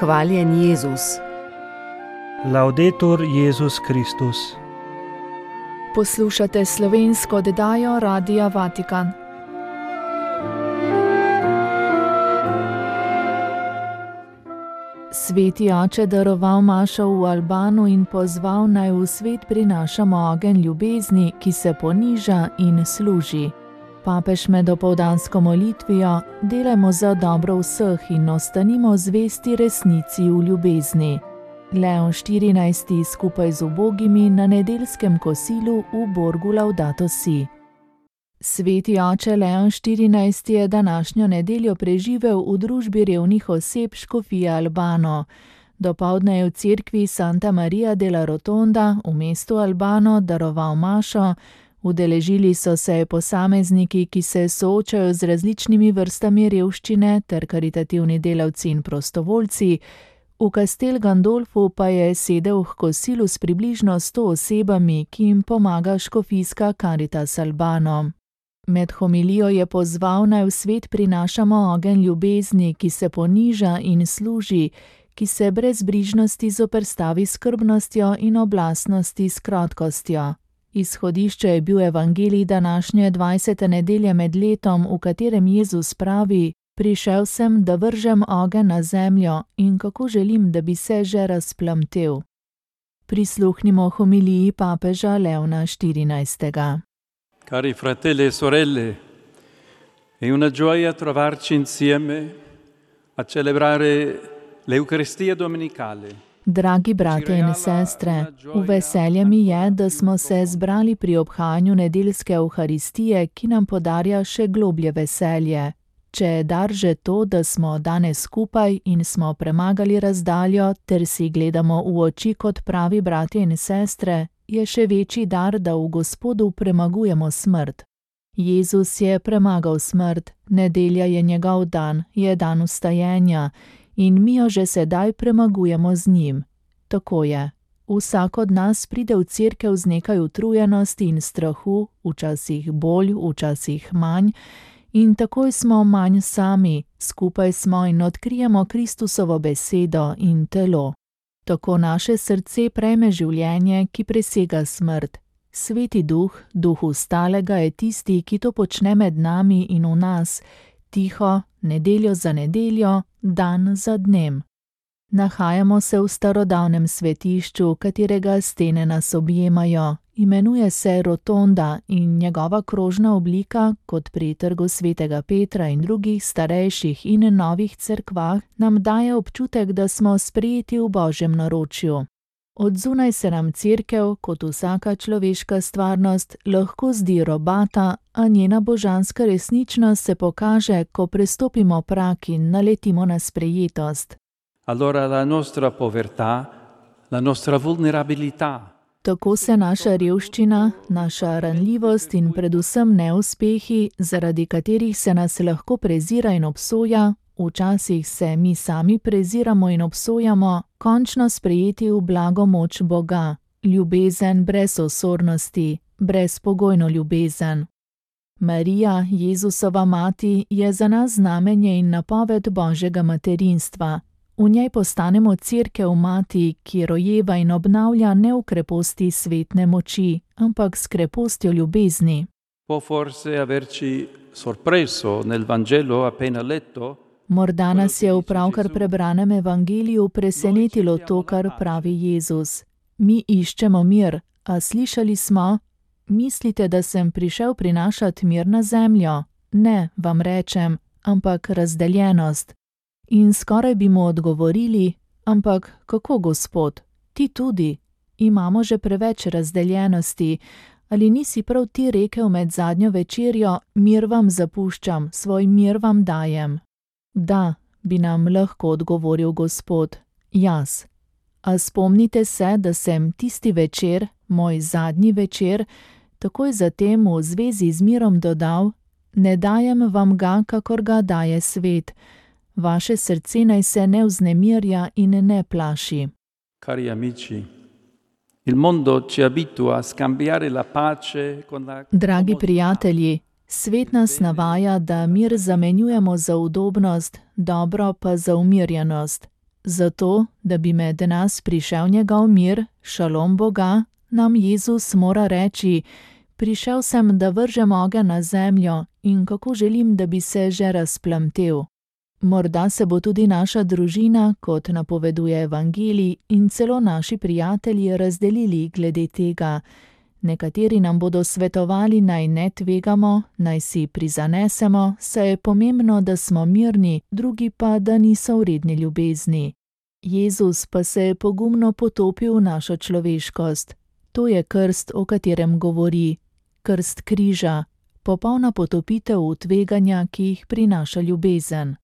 Hvaljen Jezus. Laudetur Jezus Kristus. Poslušate slovensko oddajo Radia Vatikan. Sveti oče daroval mašo v Albanu in pozval, naj v svet prinašamo ogenj ljubezni, ki se poniža in služi. Papež med opoldansko molitvijo: delajmo za dobro vseh in ostanimo zvesti resnici v ljubezni. Leon XIV. Skupaj z ubogimi na nedeljskem kosilu v Borgu Laudato Si. Sveti oče Leon XIV. Je današnjo nedeljo preživel v družbi revnih oseb škofije Albano. Dopoldne je v cerkvi Santa Maria della Rotonda v mestu Albano daroval mašo. Udeležili so se posamezniki, ki se soočajo z različnimi vrstami revščine, ter karitativni delavci in prostovoljci. V Castel Gandolfu pa je sedel k kosilu s približno 100 osebami, ki jim pomaga škofijska Caritas Albano. Med homilijo je pozval, naj v svet prinašamo ogenj ljubezni, ki se poniža in služi, ki se brez brižnosti zoperstavi skrbnostjo in oblastnosti s krotkostjo. Izhodišče je bil evangelij današnje 20. nedelje med letom, v katerem Jezus pravi: prišel sem, da vržem ogenj na zemljo in kako želim, da bi se že razplamtel. Prisluhnimo homiliji papeža Leona XIV. Cari fratelli e sorelle, è una gioia trovarci insieme a celebrare l'Eucaristia domenicale. Dragi bratje in sestre, v veselje mi je, da smo se zbrali pri obhajanju nedeljske Evharistije, ki nam podarja še globlje veselje. Če je dar že to, da smo danes skupaj in smo premagali razdaljo ter si gledamo v oči kot pravi bratje in sestre, je še večji dar, da v Gospodu premagujemo smrt. Jezus je premagal smrt, nedelja je njegov dan, je dan vstajenja. In mi jo že sedaj premagujemo z njim. Tako je. Vsak od nas pride v cerkev z nekaj utrujenosti in strahu, včasih bolj, včasih manj, in takoj smo manj sami, skupaj smo in odkrijemo Kristusovo besedo in telo. Tako naše srce prejme življenje, ki presega smrt. Sveti Duh, Duh Vstalega, je tisti, ki to počne med nami in v nas, tiho, nedeljo za nedeljo, dan za dnem. Nahajamo se v starodavnem svetišču, katerega stene nas objemajo. Imenuje se Rotonda in njegova krožna oblika, kot pri Trgu svetega Petra in drugih starejših in novih cerkvah, nam daje občutek, da smo sprejeti v Božjem naročju. Od zunaj se nam cerkev, kot vsaka človeška stvarnost, lahko zdi robata, a njena božanska resničnost se pokaže, ko prestopimo prag in naletimo na sprejetost. Allora la nostra povertà, la nostra vulnerabilità. Tako se naša revščina, naša ranljivost in predvsem neuspehi, zaradi katerih se nas lahko prezira in obsoja, včasih se mi sami preziramo in obsojamo, končno sprejeti v blago moč Boga, ljubezen brez osornosti, brezpogojno ljubezen. Marija, Jezusova mati, je za nas znamenje in napoved Božjega materinstva. V njej postanemo cerkev mati, ki rojeva in obnavlja ne v kreposti svetne moči, ampak s krepostjo ljubezni. Può forse averci sorpreso nel Vangelo appena letto. Morda nas je v pravkar prebranem evangeliju presenetilo to, kar pravi Jezus. Mi iščemo mir, a slišali smo: mislite, da sem prišel prinašati mir na zemljo? Ne, vam rečem, ampak razdeljenost. In skoraj bi mu odgovorili: ampak kako, Gospod? Ti tudi. Imamo že preveč razdeljenosti. Ali nisi prav ti rekel med zadnjo večerjo: mir vam zapuščam, svoj mir vam dajem? Da, bi nam lahko odgovoril Gospod, jaz. A spomnite se, da sem tisti večer, moj zadnji večer, takoj zatem v zvezi z mirom dodal: ne dajem vam ga, kakor ga daje svet. Vaše srce naj se ne vznemirja in ne plaši. Cari amici, il mondo ci abitua a scambiare la pace con la... Dragi prijatelji, svet nas navaja, da mir zamenjujemo za udobnost, dobro pa za umirjenost. Zato, da bi med nas prišel njegov mir, šalom Boga, nam Jezus mora reči: prišel sem, da vržem ogenj na zemljo in kako želim, da bi se že razplamtel. Morda se bo tudi naša družina, kot napoveduje Evangelij, in celo naši prijatelji razdelili glede tega. Nekateri nam bodo svetovali, naj ne tvegamo, naj si prizanesemo, saj je pomembno, da smo mirni, drugi pa, da niso vredni ljubezni. Jezus pa se je pogumno potopil v našo človeškost. To je krst, o katerem govori. Krst križa, popolna potopitev v tveganja, ki jih prinaša ljubezen.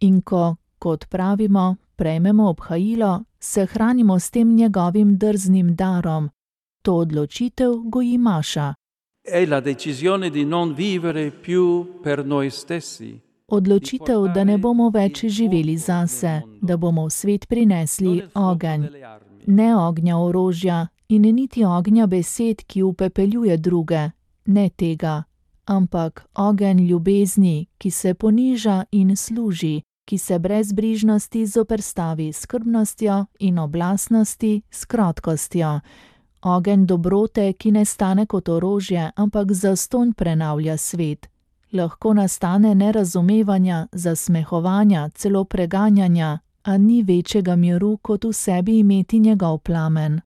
In ko, kot pravimo, prejmemo obhajilo, se hranimo s tem njegovim drznim darom. To odločitev goji Maša. È la decisione di non vivere più per noi stessi. Odločitev, da ne bomo več živeli zase, da bomo v svet prinesli ogenj. Ne ognja orožja in niti ognja besed, ki upepeljuje druge, ne tega, ampak ogenj ljubezni, ki se poniža in služi, ki se brez brižnosti zoperstavi skrbnostjo in oblastnosti s krotkostjo. Ogenj dobrote, ki ne stane kot orožje, ampak zastonj prenavlja svet. Lahko nastane nerazumevanja, zasmehovanja, celo preganjanja, a ni večjega miru, kot v sebi imeti njegov plamen.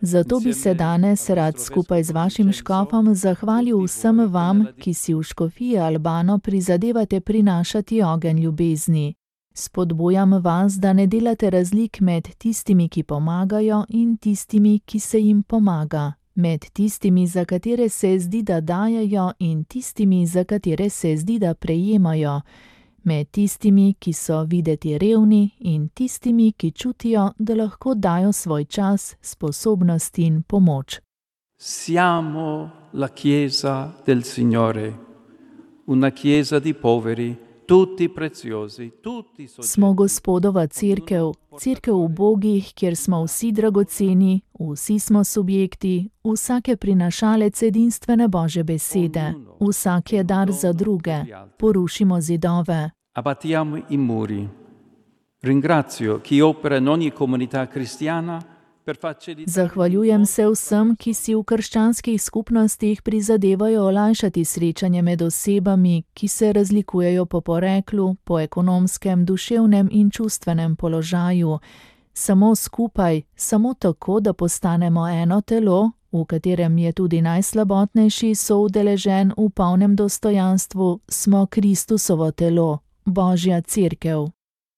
Zato bi se danes rad skupaj z vašim škofom zahvalil vsem vam, ki si v škofiji Albano prizadevate prinašati ogenj ljubezni. Spodbujam vas, da ne delate razlik med tistimi, ki pomagajo, in tistimi, ki se jim pomaga. Med tistimi, za katere se zdi, da dajejo, in tistimi, za katere se zdi, da prejemajo. Med tistimi, ki so videti revni, in tistimi, ki čutijo, da lahko dajo svoj čas, sposobnost in pomoč. Siamo la Chiesa del Signore, una Chiesa di poveri, tutti preziosi, tutti sociali. Smo Gospodova cerkev, cerkev ubogih, kjer smo vsi dragoceni, vsi smo subjekti, vsak je prinašalec edinstvene Božje besede, vsak je dar za druge, porušimo zidove. Abbattiamo i muri. Ringrazio chi opera in ogni comunità cristiana. Zahvaljujem se vsem, ki si v krščanskih skupnostih prizadevajo olajšati srečanje med osebami, ki se razlikujejo po poreklu, po ekonomskem, duševnem in čustvenem položaju. Samo skupaj, samo tako, da postanemo eno telo, v katerem je tudi najslabotnejši soudeležen v polnem dostojanstvu, smo Kristusovo telo, Božja cerkev.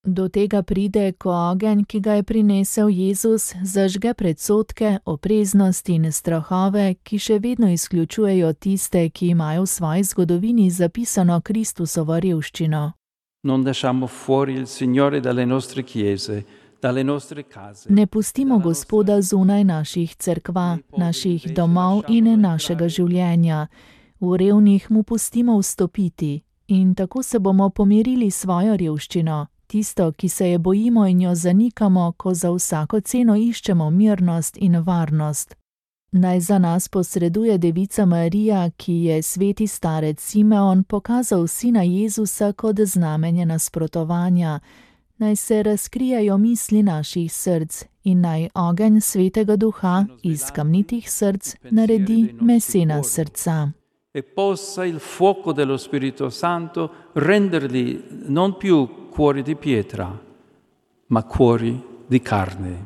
Do tega pride, ko ogenj, ki ga je prinesel Jezus, zažge predsodke, opreznost in strahove, ki še vedno izključujejo tiste, ki imajo v svoji zgodovini zapisano Kristusovo revščino. Ne pustimo Gospoda zunaj naših cerkva, naših domov in našega življenja. V revnih mu pustimo vstopiti in tako se bomo pomirili svojo revščino. Tisto, ki se je bojimo in jo zanikamo, ko za vsako ceno iščemo mirnost in varnost. Naj za nas posreduje Devica Marija, ki je sveti starec Simeon pokazal sina Jezusa kot znamenje nasprotovanja. Naj se razkrijajo misli naših src in naj ogenj Svetega Duha iz kamnitih src naredi mesena srca. E possa il fuoco dello Spirito Santo renderli non più cuori di pietra, ma cuori di carne.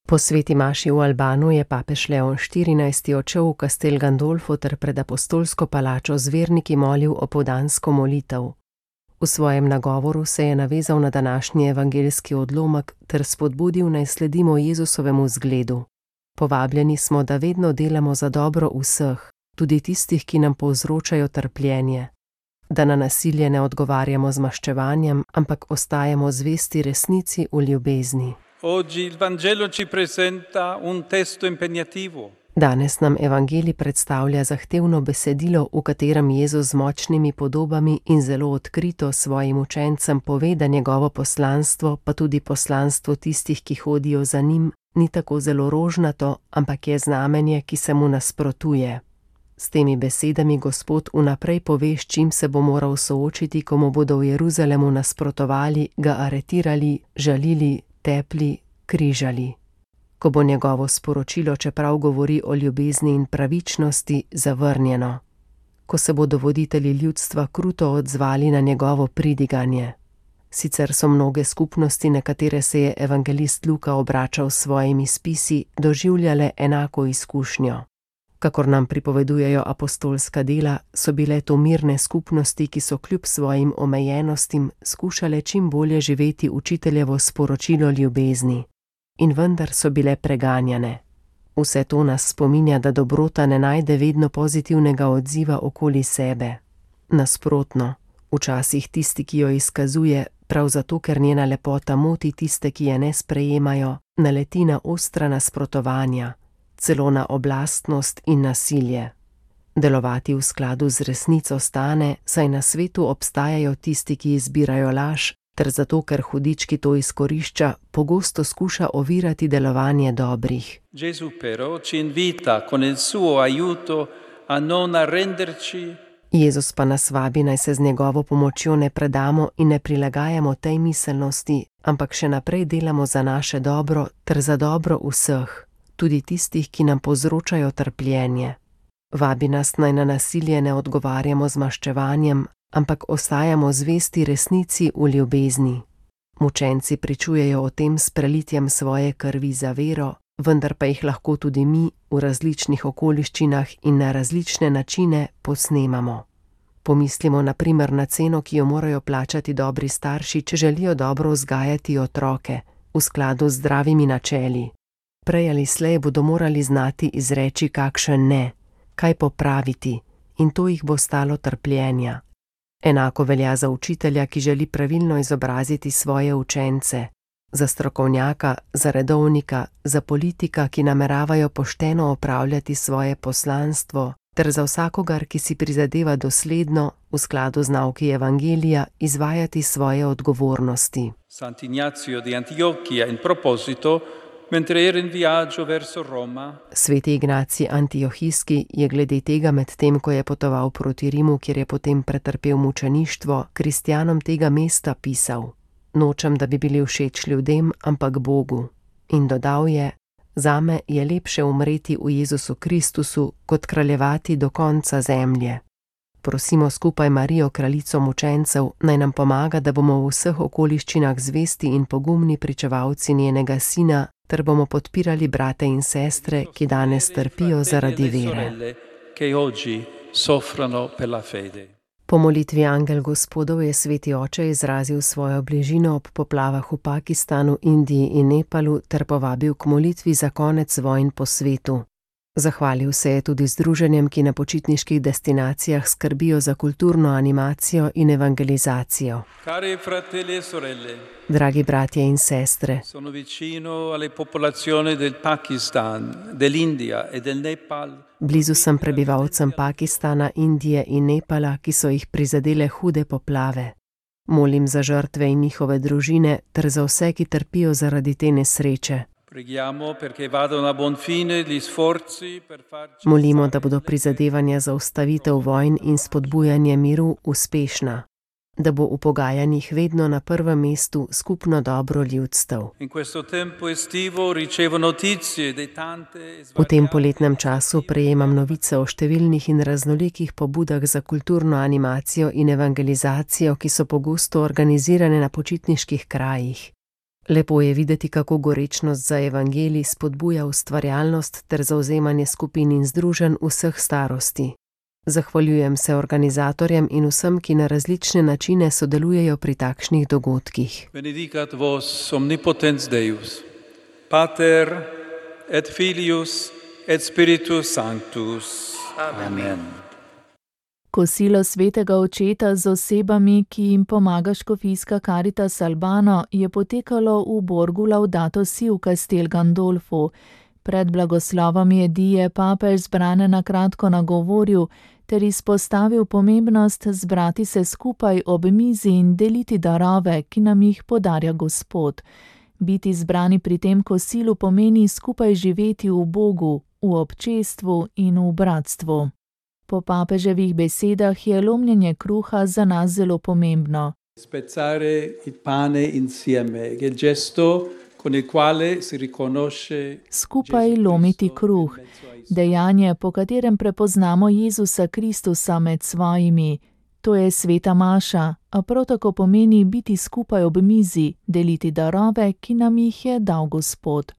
Po sveti maši v Albanu je papež Leon XIV. Odšel v Castel Gandolfo ter pred apostolsko palačo z verniki molil opoldansko molitev. V svojem nagovoru se je navezal na današnji evangeljski odlomek ter spodbudil, naj sledimo Jezusovemu zgledu. Povabljeni smo, da vedno delamo za dobro vseh, tudi tistih, ki nam povzročajo trpljenje. Da na nasilje ne odgovarjamo z maščevanjem, ampak ostajamo zvesti resnici v ljubezni. Danes nam evangelij predstavlja zahtevno besedilo, v katerem Jezus z močnimi podobami in zelo odkrito svojim učencem pove, da njegovo poslanstvo, pa tudi poslanstvo tistih, ki hodijo za njim, ni tako zelo rožnato, ampak je znamenje, ki se mu nasprotuje. S temi besedami Gospod vnaprej pove, s čim se bo moral soočiti, ko mu bodo v Jeruzalemu nasprotovali, ga aretirali, žalili, tepli, križali. Ko bo njegovo sporočilo, čeprav govori o ljubezni in pravičnosti, zavrnjeno. Ko se bodo voditelji ljudstva kruto odzvali na njegovo pridiganje. Sicer so mnoge skupnosti, na katere se je evangelist Luka obračal s svojimi spisi, doživljale enako izkušnjo. Kakor nam pripovedujejo apostolska dela, so bile to mirne skupnosti, ki so kljub svojim omejenostim skušale čim bolje živeti učiteljevo sporočilo ljubezni. In vendar so bile preganjane. Vse to nas spominja, da dobrota ne najde vedno pozitivnega odziva okoli sebe. Nasprotno, včasih tisti, ki jo izkazuje, prav zato, ker njena lepota moti tiste, ki je ne sprejemajo, naleti na ostra nasprotovanja, celo na oblastnost in nasilje. Delovati v skladu z resnico stane, saj na svetu obstajajo tisti, ki izbirajo laž, ter zato, ker hudič, ki to izkorišča, pogosto skuša ovirati delovanje dobrih. Gesù però ci invita con il suo aiuto a non arrenderci. Jezus pa nas vabi, naj se z njegovo pomočjo ne predamo in ne prilagajamo tej miselnosti, ampak še naprej delamo za naše dobro ter za dobro vseh, tudi tistih, ki nam povzročajo trpljenje. Vabi nas, naj na nasilje ne odgovarjamo z maščevanjem, ampak ostajamo zvesti resnici v ljubezni. Mučenci pričujejo o tem s prelitjem svoje krvi za vero, vendar pa jih lahko tudi mi v različnih okoliščinah in na različne načine posnemamo. Pomislimo na primer na ceno, ki jo morajo plačati dobri starši, če želijo dobro vzgajati otroke, v skladu z zdravimi načeli. Prej ali slej bodo morali znati izreči kakšen ne, kaj popraviti, in to jih bo stalo trpljenja. Enako velja za učitelja, ki želi pravilno izobraziti svoje učence, za strokovnjaka, za redovnika, za politika, ki nameravajo pošteno opravljati svoje poslanstvo, ter za vsakogar, ki si prizadeva dosledno, v skladu z nauki Evangelija, izvajati svoje odgovornosti. Sant'Ignazio di Antiochia in proposito, mentre era in viaggio verso Roma. Sveti Ignacij Antiohijski je glede tega med tem, ko je potoval proti Rimu, kjer je potem pretrpel mučeništvo, kristjanom tega mesta pisal: Nočem, da bi bili všeč ljudem, ampak Bogu. In dodal je: Zame je lepše umreti v Jezusu Kristusu, kot kraljevati do konca zemlje. Prosimo skupaj Marijo, kraljico mučencev, naj nam pomaga, da bomo v vseh okoliščinah zvesti in pogumni pričevalci njenega sina, ter bomo podpirali brate in sestre, ki danes trpijo zaradi vere. Po molitvi Angel Gospodov je sveti oče izrazil svojo bližino ob poplavah v Pakistanu, Indiji in Nepalu ter povabil k molitvi za konec vojn po svetu. Zahvalil se je tudi združenjem, ki na počitniških destinacijah skrbijo za kulturno animacijo in evangelizacijo. Dragi bratje in sestre, blizu sem prebivalcem Pakistana, Indije in Nepala, ki so jih prizadele hude poplave. Molim za žrtve in njihove družine ter za vse, ki trpijo zaradi te nesreče. Molimo, da bodo prizadevanja za ustavitev vojn in spodbujanje miru uspešna, da bo v pogajanjih vedno na prvem mestu skupno dobro ljudstev. V tem poletnem času prejemam novice o številnih in raznolikih pobudah za kulturno animacijo in evangelizacijo, ki so pogosto organizirane na počitniških krajih. Lepo je videti, kako gorečnost za evangelij spodbuja ustvarjalnost ter zavzemanje skupin in združenj vseh starosti. Zahvaljujem se organizatorjem in vsem, ki na različne načine sodelujejo pri takšnih dogodkih. Benedicat vos omnipotens Deus, Pater et Filius et Spiritus Sanctus. Amen. Kosilo svetega očeta z osebami, ki jim pomaga škofijska Caritas Albano, je potekalo v Borgu Laudato Si v Castel Gandolfu. Pred blagoslovom jedi je papež zbrane na kratko nagovoril ter izpostavil pomembnost zbrati se skupaj ob mizi in deliti darove, ki nam jih podarja Gospod. Biti zbrani pri tem kosilu pomeni skupaj živeti v Bogu, v občestvu in v bratstvu. Po papeževih besedah je lomljenje kruha za nas zelo pomembno. Spezzare il pane insieme, che è il gesto con il quale si riconosce Skupaj lomiti kruh, dejanje, po katerem prepoznamo Jezusa Kristusa med svojimi. To je sveta maša, a prav tako pomeni biti skupaj ob mizi, deliti darove, ki nam jih je dal Gospod.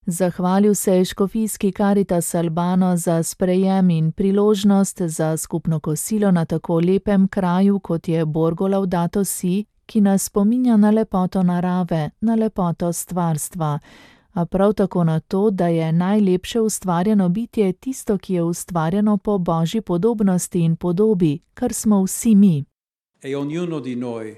Zahvalil se je škofijski Caritas Albano za sprejem in priložnost za skupno kosilo na tako lepem kraju, kot je Borgo Laudato Si, ki nas spominja na lepoto narave, na lepoto stvarstva, a prav tako na to, da je najlepše ustvarjeno bitje tisto, ki je ustvarjeno po Božji podobnosti in podobi, kar smo vsi mi. E ognuno di noi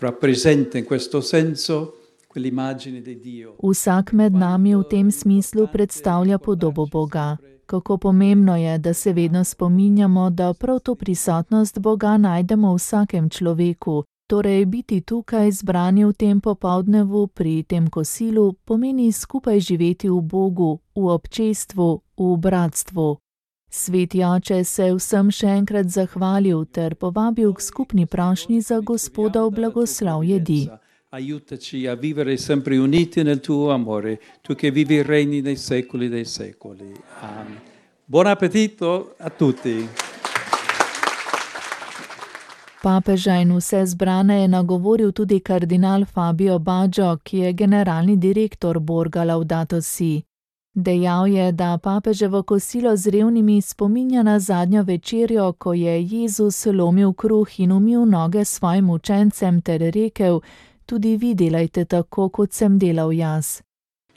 rappresenta in questo senso quell'immagine di Dio. Vsak med nami v tem smislu predstavlja podobo Boga. Kako pomembno je, da se vedno spominjamo, da prav to prisotnost Boga najdemo v vsakem človeku. Torej, biti tukaj zbrani v tem popoldnevu pri tem kosilu pomeni skupaj živeti v Bogu, v občestvu, v bratstvu. Sveti oče se vsem še enkrat zahvalil ter povabil k skupni prošnji za Gospodov blagoslov jedi. Aiutaci a vivere sempre uniti nel tuo amore, tu che vivi e regni nei secoli dei secoli. Amen. Buon appetito a tutti. Papeža in vse zbrane je nagovoril tudi kardinal Fabio Baggio, ki je generalni direktor Borga Laudato Si. Dejal je, da papeževo kosilo z revnimi spominja na zadnjo večerjo, ko je Jezus lomil kruh in umil noge svojim učencem ter rekel: tudi vi delajte tako, kot sem delal jaz.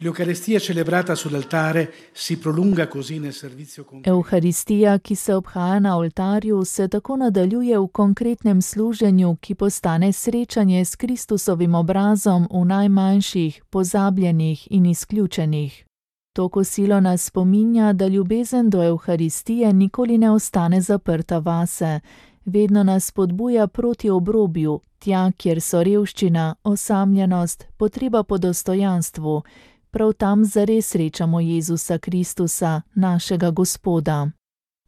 L'Eucaristia celebrata sull'altare si prolunga così nel servizio concreto. Euharistija, ki se obhaja na oltarju, se tako nadaljuje v konkretnem služenju, ki postane srečanje s Kristusovim obrazom v najmanjših, pozabljenih in izključenih. To kosilo nas spominja, da ljubezen do Euharistije nikoli ne ostane zaprta vase. Vedno nas spodbuja proti obrobju, tja, kjer so revščina, osamljenost, potreba po dostojanstvu. Prav tam zares srečamo Jezusa Kristusa, našega Gospoda.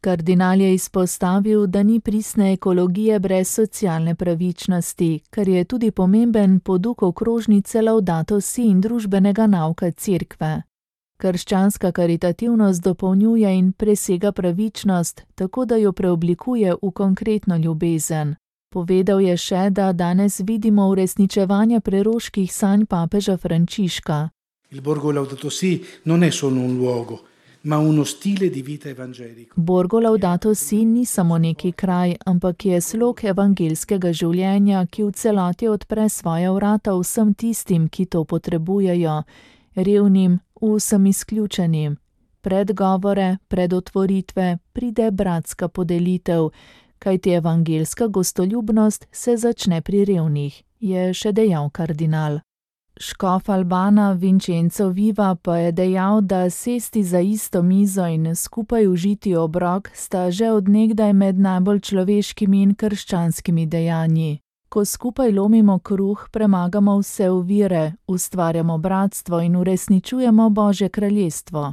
Kardinal je izpostavil, da ni pristne ekologije brez socialne pravičnosti, kar je tudi pomemben poduk okrožnice Laudato Si in družbenega nauka Cerkve. Krščanska karitativnost dopolnjuje in presega pravičnost, tako da jo preoblikuje v konkretno ljubezen. Povedal je še, da danes vidimo uresničevanje preroških sanj papeža Frančiška. Il Borgo Laudato Si non è solo un luogo, ma uno stile di vita evangelico. Borgo Laudato Si ni samo neki kraj, ampak je slog evangelskega življenja, ki v celoti odpre svoja vrata vsem tistim, ki to potrebujejo, revnim, vsem izključenim. Pred govore, pred otvoritve pride bratska podelitev, kajti evangelska gostoljubnost se začne pri revnih, je še dejal kardinal. Škof Albana Vincenzo Viva pa je dejal, da sesti za isto mizo in skupaj užiti obrok sta že od nekdaj med najbolj človeškimi in krščanskimi dejanji. Ko skupaj lomimo kruh, premagamo vse ovire, ustvarjamo bratstvo in uresničujemo Božje kraljestvo.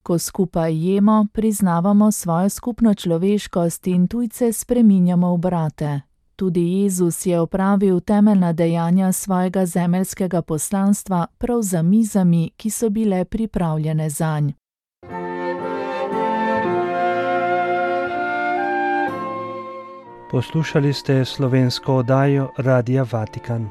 Ko skupaj jemo, priznavamo svojo skupno človeškost in tujce spreminjamo v brate. Tudi Jezus je opravil temeljna dejanja svojega zemeljskega poslanstva prav za mizami, ki so bile pripravljene zanj. Poslušali ste slovensko oddajo Radia Vatikan.